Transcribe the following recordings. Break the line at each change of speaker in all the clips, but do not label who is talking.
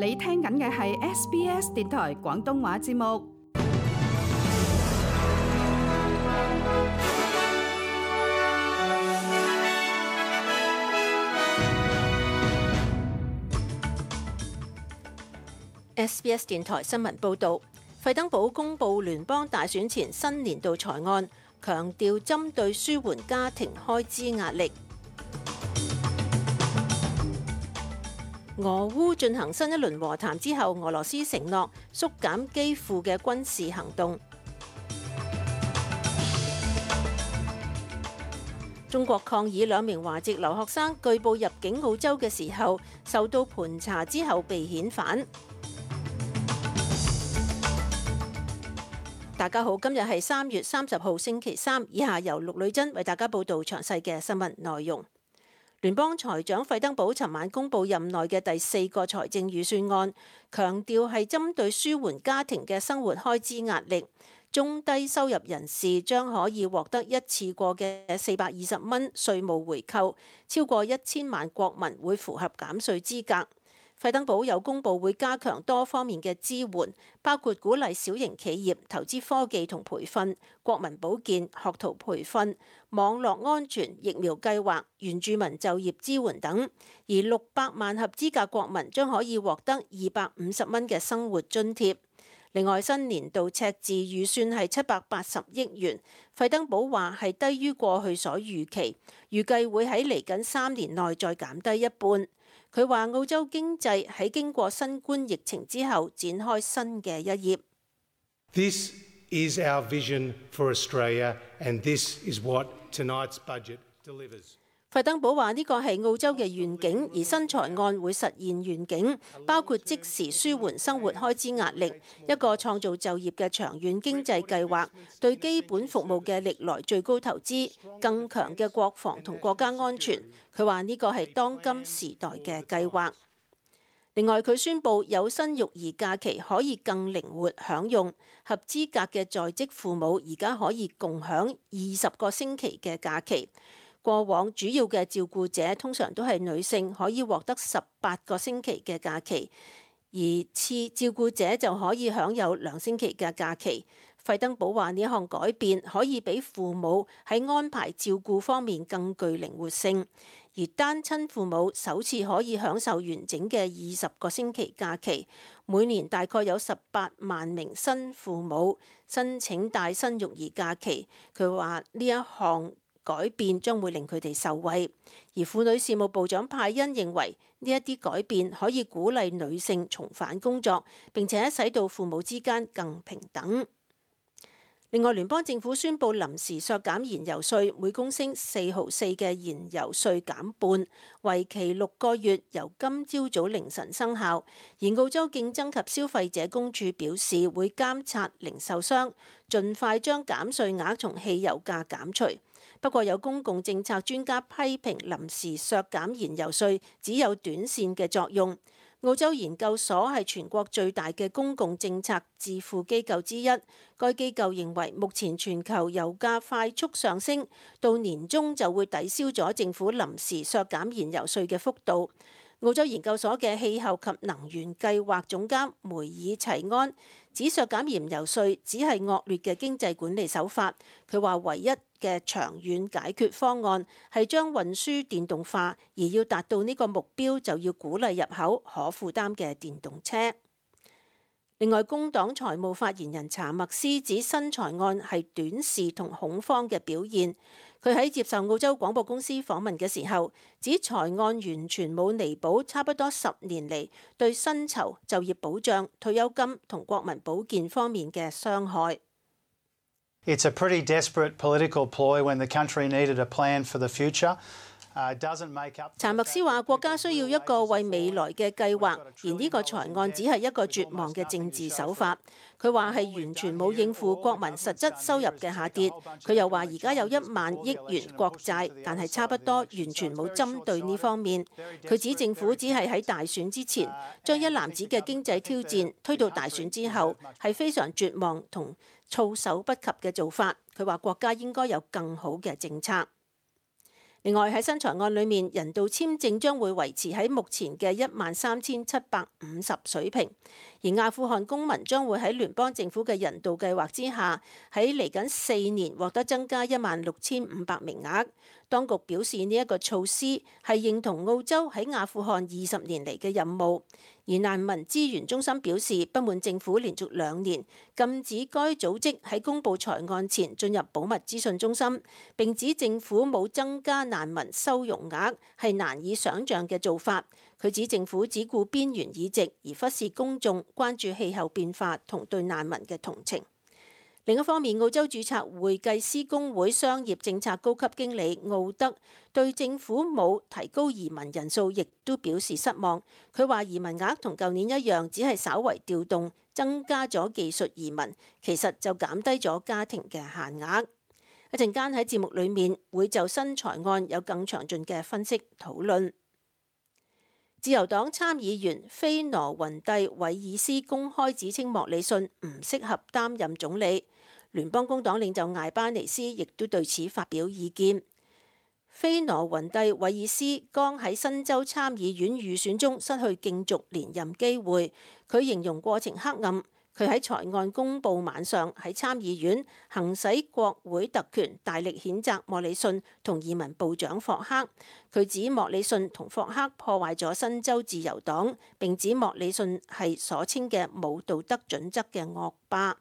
你聽緊嘅係 SBS 電台廣東話節目。
SBS 電台新聞報導，費登堡公布聯邦大選前新年度財案，強調針對舒緩家庭開支壓力。俄烏進行新一輪和談之後，俄羅斯承諾縮減基輔嘅軍事行動。中國抗議兩名華籍留學生據報入境澳洲嘅時候，受到盤查之後被遣返。大家好，今日係3月30號星期三，以下由陸女珍為大家報道詳細嘅新聞內容。聯邦財長費登堡尋晚公布任內嘅第4個財政預算案，強調係針對舒緩家庭嘅生活開支壓力，中低收入人士將可以獲得一次過嘅420蚊稅務回扣，超過1000萬國民會符合減稅資格。費登堡又公布會加強多方面嘅支援，包括鼓勵小型企業投資科技同培訓、國民保健、學徒培訓、網絡安全、疫苗計劃、原住民就業支援等。而600萬合資格國民將可以獲得250蚊嘅生活津貼。另外，新年度赤字預算係780億元，費登堡話係低於過去所預期，預計會喺嚟緊3年內再減低一半。佢話澳洲經濟喺經過新冠疫情之後展開新嘅一頁。
This is our vision for Australia, and this is what tonight's budget delivers.
費登堡話呢個係澳洲嘅願景，而新財案會實現願景，包括即時舒緩生活開支壓力，一個創造就業嘅長遠經濟計劃，對基本服務嘅歷來最高投資，更強嘅國防同國家安全。佢話呢個係當今時代嘅計劃。另外，佢宣布有薪育兒假期可以更靈活享用，合資格嘅在職父母而家可以共享20個星期嘅假期。過往主要嘅照顧者通常都係女性，可以獲得18個星期嘅假期，而次照顧者就可以享有2星期嘅假期。費登堡話呢一項改變可以俾父母喺安排照顧方面更具靈活性，而單親父母首次可以享受完整嘅20個星期假期。每年大概有18萬名新父母申請帶薪育兒假期。佢話呢一項改變將會令佢哋受惠，而婦女事務部長派恩認為呢一啲改變可以鼓勵女性重返工作，並且使到父母之間更平等。另外，聯邦政府宣布臨時削減燃油稅，每公升4毫4嘅燃油稅減半，為期6個月，由今朝早凌晨生效。而澳洲競爭及消費者公署表示會監察零售商，盡快將減稅額從汽油價減除。不過有公共政策專家批評臨時削減燃油稅只有短線嘅作用。澳洲研究所係全國最大嘅公共政策智庫機構之一，該機構認為目前全球油價快速上升，到年中就會抵消咗政府臨時削減燃油稅嘅幅度。澳洲研究所嘅氣候及能源計劃總監梅爾齊安指削減燃油稅只係惡劣嘅經濟管理手法。佢話唯一嘅長遠解決方案係將運輸電動化，而要達到呢個目標就要鼓勵入口可負擔嘅電動車。另外，工黨財務發言人查默斯指新財案係短視同恐慌嘅表現。佢喺接受澳洲廣播公司訪問嘅時候，指財案完全冇彌補差不多10年嚟對薪酬、就業保障、退休金同國民保健方面嘅傷害。
It's a pretty desperate political ploy when the country needed a plan for the future.
查默斯話：國家需要一個為未來嘅計劃，而呢個財案只係一個絕望嘅政治手法。佢話係完全冇應付國民實質收入嘅下跌。佢又話而家有1萬億元國債，但係差不多完全冇針對呢方面。佢指政府只係喺大選之前將一籃子嘅經濟挑戰推到大選之後，係非常絕望同措手不及嘅做法。佢話國家應該有更好嘅政策。另外喺新財案裏面，人道簽證將會維持喺目前嘅13,750水平，而阿富汗公民將會喺聯邦政府嘅人道計劃之下，喺嚟緊4年獲得增加16,500名額。當局表示呢一個措施係認同澳洲喺阿富汗20年嚟嘅任務。而難民資源中心表示不滿政府連續2年禁止該組織喺公布財案前進入保密資訊中心，並指政府冇增加難民收容額係難以想像嘅做法。佢指政府只顧邊緣議席，而忽視公眾關注氣候變化同對難民嘅同情。另一方面，澳洲註冊會計師公會商業政策高級經理奧德對政府冇提高移民人數，亦都表示失望。佢話移民額同舊年一樣，只係稍為調動，增加咗技術移民，其實就減低咗家庭嘅限額。一陣間喺節目裡面會就新財案有更詳盡嘅分析討論。自由黨參議員菲羅雲蒂韋爾斯公開指稱莫里遜唔適合擔任總理。聯邦工黨領袖艾巴尼斯亦都對此發表意見。菲羅雲蒂韋爾斯剛喺新州參議院預選中失去競逐連任機會，佢形容過程黑暗。佢喺財案公佈晚上喺參議院行使國會特權，大力譴責莫里遜同移民部長霍克。佢指莫里遜同霍克破壞咗新州自由黨，並指莫里遜係所稱嘅冇道德準則嘅惡霸。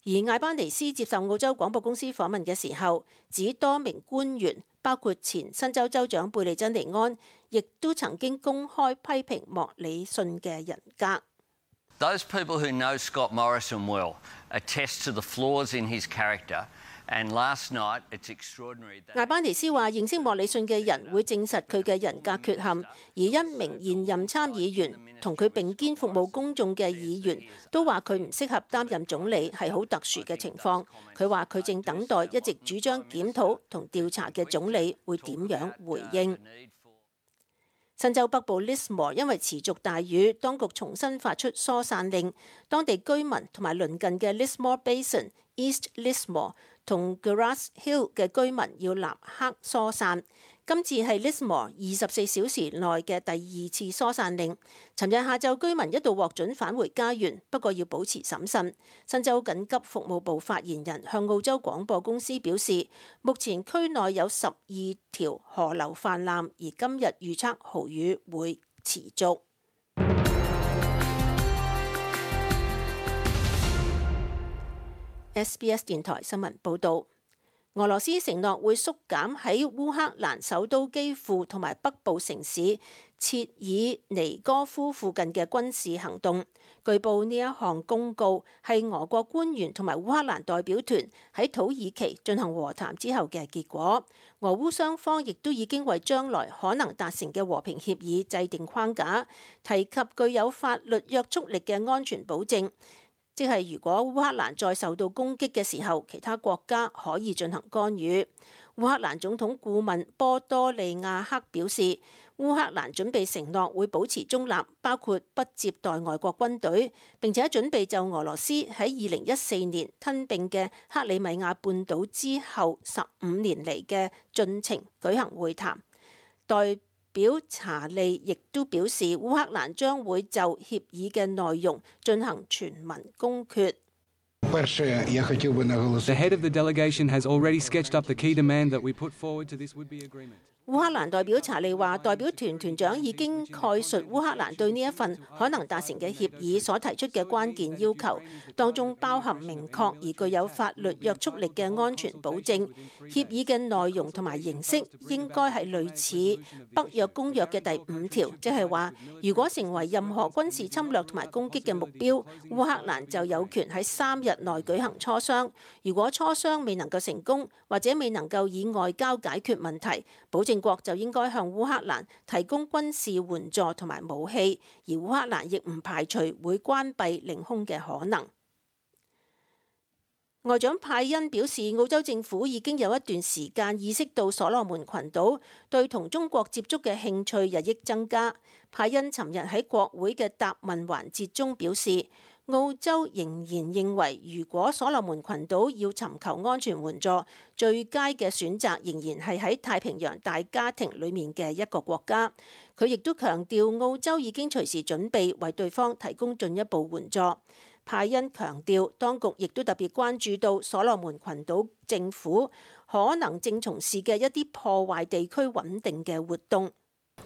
而艾巴尼斯接受澳洲廣播公司訪問嘅時候，指多名官員，包括前新州州長貝利珍尼安，亦都曾經公開批評莫里遜嘅人格。
Those people who know Scott Morrison well attest to the flaws in his character. And last night, it's extraordinary that
艾巴尼斯話：認識莫里遜嘅人會證實佢嘅人格缺陷，而一名現任參議員同佢並肩服務公眾嘅議員都話佢唔適合擔任總理，係好特殊嘅情況。佢話佢正等待一直主張檢討同調查嘅總理會點樣回應。新州北部 Lismore 因為持續大雨，當局重新發出疏散令，當地居民同埋鄰近嘅 Lismore Basin、East Lismore同 Grass Hill 嘅居民要立刻疏散。今次係 Lismore 24小時內嘅第2次疏散令。尋日下晝居民一度獲准返回家園，不過要保持審慎。新州緊急服務部發言人向澳洲廣播公司表示，目前區內有12條河流泛濫，而今日預測豪雨會持續。SBS 電台新聞報導。俄羅斯承諾會縮減喺烏克蘭首都基輔同埋北部城市切爾尼戈夫附近嘅軍事行動。據報呢一項公告係俄國官員同埋烏克蘭代表團喺土耳其進行和談之後嘅結果。俄烏雙方亦都已經為將來可能達成嘅和平協議制定框架，提及具有法律約束力嘅安全保證。即係如果烏克蘭再受到攻擊嘅時候，其他國家可以進行干預。烏克蘭總統顧問波多利亞克表示，烏克蘭準備承諾會保持中立，包括不接待外國軍隊，並且準備就俄羅斯喺2014年吞併嘅克里米亞半島之後15年嚟嘅進程舉行會談。代表查利亦都表示，烏克蘭將會就協議嘅內容進行全民公決。
The head of the delegation has already sketched up the key demand that we put forward to this would-be agreement.
烏克蘭代表查利話，代表團團長已經概述烏克蘭對呢一份可能達成嘅協議所提出嘅關鍵要求，當中包含明確而具有法律約束力嘅安全保證。協議嘅內容同埋形式應該係類似北約公約嘅第5條，即係話，如果成為任何軍事侵略同埋攻擊嘅目標，烏克蘭就有權喺3日內舉行磋商。如果磋商未能夠成功，或者未能夠以外交解決問題，保證國就應該向烏克蘭提供軍事援助同埋武器，而烏克蘭亦唔排除會關閉領空嘅可能。外長派恩表示，澳洲政府已經有一段時間意識到所羅門群島對同中國接觸嘅興趣日益增加。派恩尋日喺國會嘅答問環節中表示，澳洲仍然認為，如果所羅門群島要尋求安全援助，最佳嘅選擇仍然係喺太平洋大家庭裡面嘅一個國家。佢亦都強調，澳洲已經隨時準備為對方提供進一步援助。派恩強調，當局亦都特別關注到所羅門群島政府可能正從事嘅一啲破壞地區穩定嘅活動。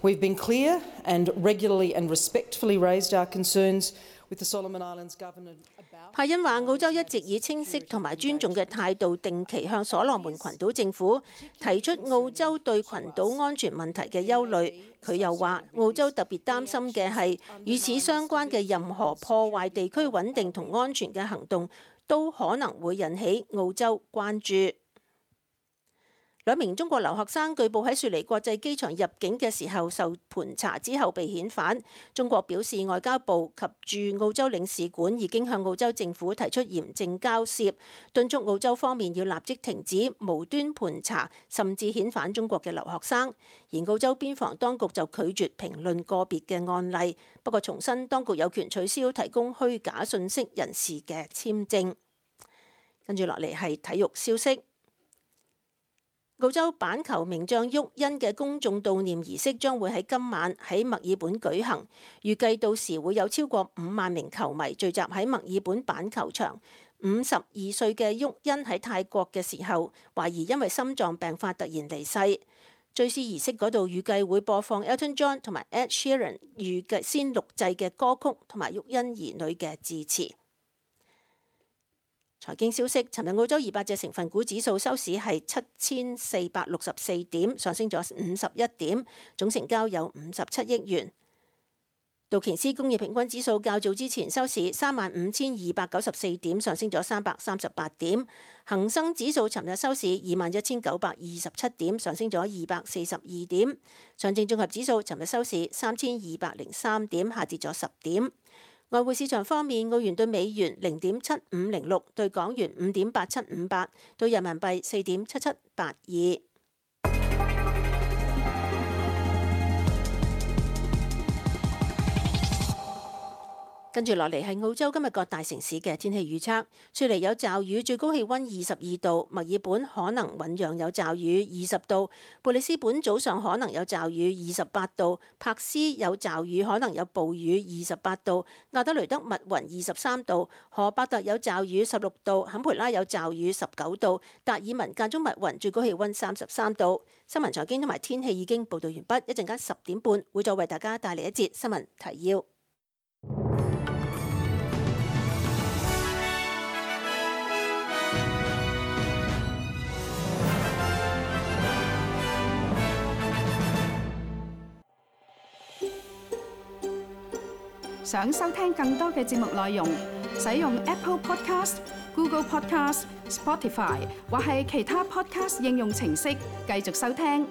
We've been clear and regularly and respectfully raised our concerns with the Solomon Islands government about。
派恩話，澳洲一直以清晰同埋尊重嘅態度，定期向所羅門群島政府提出澳洲對群島安全問題嘅憂慮。佢又話，澳洲特別擔心嘅係與此相關嘅任何破壞地區穩定同安全嘅行動，都可能會引起澳洲關注。兩名中國留學生據報喺雪梨國際機場入境嘅時候受盤查之後被遣返。中國表示，外交部及駐澳洲領事館已經向澳洲政府提出嚴正交涉，敦促澳洲方面要立即停止無端盤查，甚至遣返中國嘅留學生。而澳洲邊防當局就拒絕評論個別嘅案例，不過重申當局有權取消提供虛假信息人士嘅簽證。跟住落嚟係體育消息。澳洲板球名將沃恩嘅公眾悼念儀式將會喺今晚喺墨爾本舉行，預計到時會有超過5萬名球迷聚集喺墨爾本板球場。52歲嘅沃恩喺泰國嘅時候，懷疑因為心臟病發突然離世。追思儀式嗰度預計會播放 Elton John 同埋 Ed Sheeran 預計先錄製嘅歌曲同埋沃恩兒女嘅致辭。財經消息，尋日澳洲200隻成分股指數收市係7464點，上升咗51點，總成交有57億元。道瓊斯工業平均指數較早之前收市35294點，上升咗338點。恒生指數尋日收市21927點，上升咗242點。上證綜合指數尋日收市3203點，下跌咗10點。外匯市場方面，澳元對美元0.7506，對港元5.8758，對人民幣4.7782。跟住落嚟係澳洲今日各大城市嘅天氣預測。雪梨有驟雨，最高氣溫22度；墨爾本可能醞釀有驟雨，20度；布里斯本早上可能有驟雨，28度；柏斯有驟雨，可能有暴雨，28度；亞德雷德密雲23度；荷伯特有驟雨，16度；坎培拉有驟雨，19度；達爾文間中密雲，最高氣溫33度。新聞財經同埋天氣已經報道完畢，一陣間10點半會再為大家帶嚟一節新聞提要。
想收聽更多嘅節目內容，使用 Apple Podcast、Google Podcast、Spotify 或係其他 Podcast 應用程式繼續收聽。